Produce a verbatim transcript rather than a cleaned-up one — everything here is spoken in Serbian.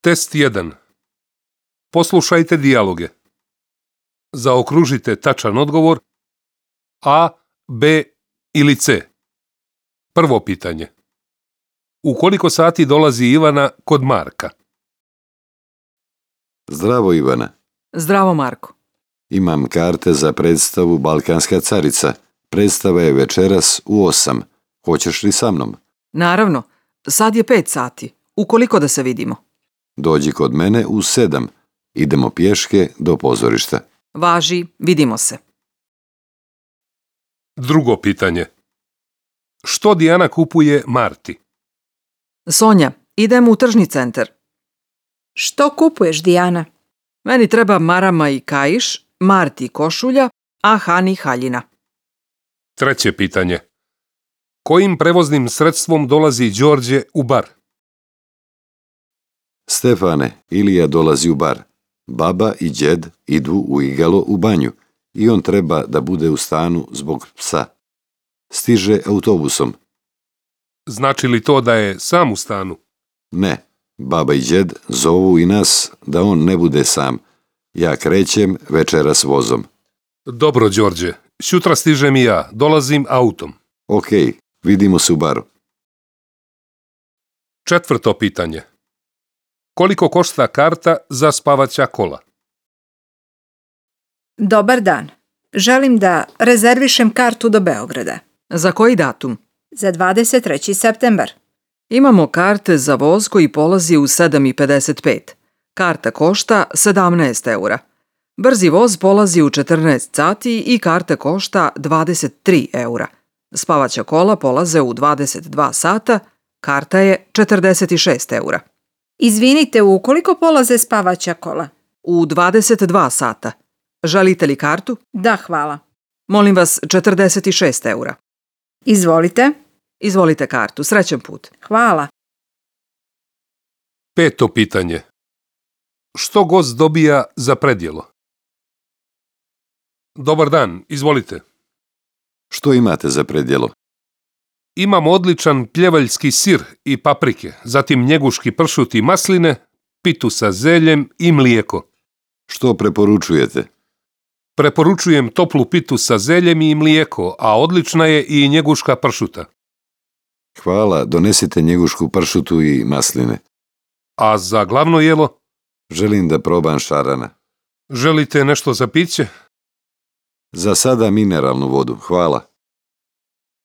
Test jedan. Poslušajte dijaloge. Zaokružite tačan odgovor A, B ili C. Prvo pitanje. U koliko sati dolazi Ivana kod Marka? Zdravo, Ivana. Zdravo, Marko. Imam karte za predstavu Balkanska carica. Predstava je večeras u osam. Hoćeš li sa mnom? Naravno, sad je pet sati. Ukoliko da se vidimo. Dođi kod mene u sedam. Idemo pješke do pozorišta. Važi, vidimo se. Drugo pitanje. Što Dijana kupuje Marti? Sonja, idemo u tržni centar. Što kupuješ, Dijana? Meni treba marama i kaiš, Marti košulja, a Hani haljina. Treće pitanje. Kojim prevoznim sredstvom dolazi Đorđe u bar? Stefane, Ilija dolazi u bar. Baba i djed idu u igalo u banju i on treba da bude u stanu zbog psa. Stiže autobusom. Znači li to da je sam u stanu? Ne, baba i djed zovu i nas da on ne bude sam. Ja krećem večeras vozom. Dobro, Đorđe. Sutra stižem i ja. Dolazim autom. Ok, vidimo se u baru. Četvrto pitanje. Koliko košta karta za spavaća kola? Dobar dan. Želim da rezervišem kartu do Beograda. Za koji datum? Za dvadeset treći septembar. Imamo karte za voz koji polazi u sedam i pedeset pet. Karta košta sedamnaest eura. Brzi voz polazi u četrnaest sati i karta košta dvadeset tri eura. Spavaća kola polaze u dvadeset dva sata, karta je četrdeset šest eura. Izvinite, u koliko polaze spavaća kola? U dvadeset dva sata. Želite li kartu? Da, hvala. Molim vas, četrdeset šest eura. Izvolite. Izvolite kartu. Srećan put. Hvala. Peto pitanje. Što gost dobija za predjelo? Dobar dan, izvolite. Što imate za predjelo? Imam odličan pljevaljski sir i paprike, zatim njeguški pršut i masline, pitu sa zeljem i mlijeko. Što preporučujete? Preporučujem toplu pitu sa zeljem i mlijeko, a odlična je i njeguška pršuta. Hvala, donesite njegušku pršutu i masline. A za glavno jelo? Želim da probam šarana. Želite nešto za piće? Za sada mineralnu vodu, hvala.